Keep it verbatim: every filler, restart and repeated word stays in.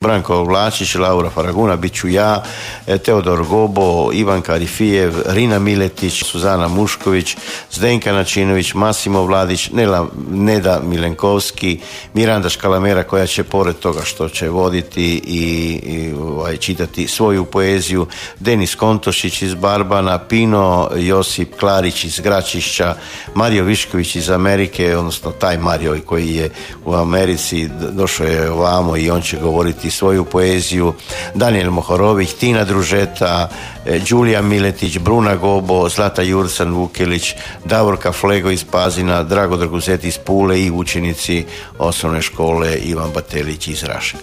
Branko Vlačić, Laura Faraguna, bit ću ja, Teodor Gobo, Ivan Karifijev, Rina Miletić, Suzana Mušković, Zdenka Načinović, Masimo Vladić, Nela, Neda Milenkovski, Miranda Škalamera koja će pored toga što će voditi i, i ovaj, čitati svoju poeziju, Denis Kontošić iz Barbana, Pino Josip Klarić iz Gračišća, Mario Višković iz Amerike, odnosno taj Mario koji je u Americi, došao je ovamo i on će govoriti svoju poeziju, Daniel Mohorovih, Tina Družeta, Đulija Miletić, Bruna Gobo, Zlata Jurcan Vukelić, Davorka Flego iz Pazina, Drago Draguzet iz Pule i učenici osnovne škole Ivan Batelić iz Raše.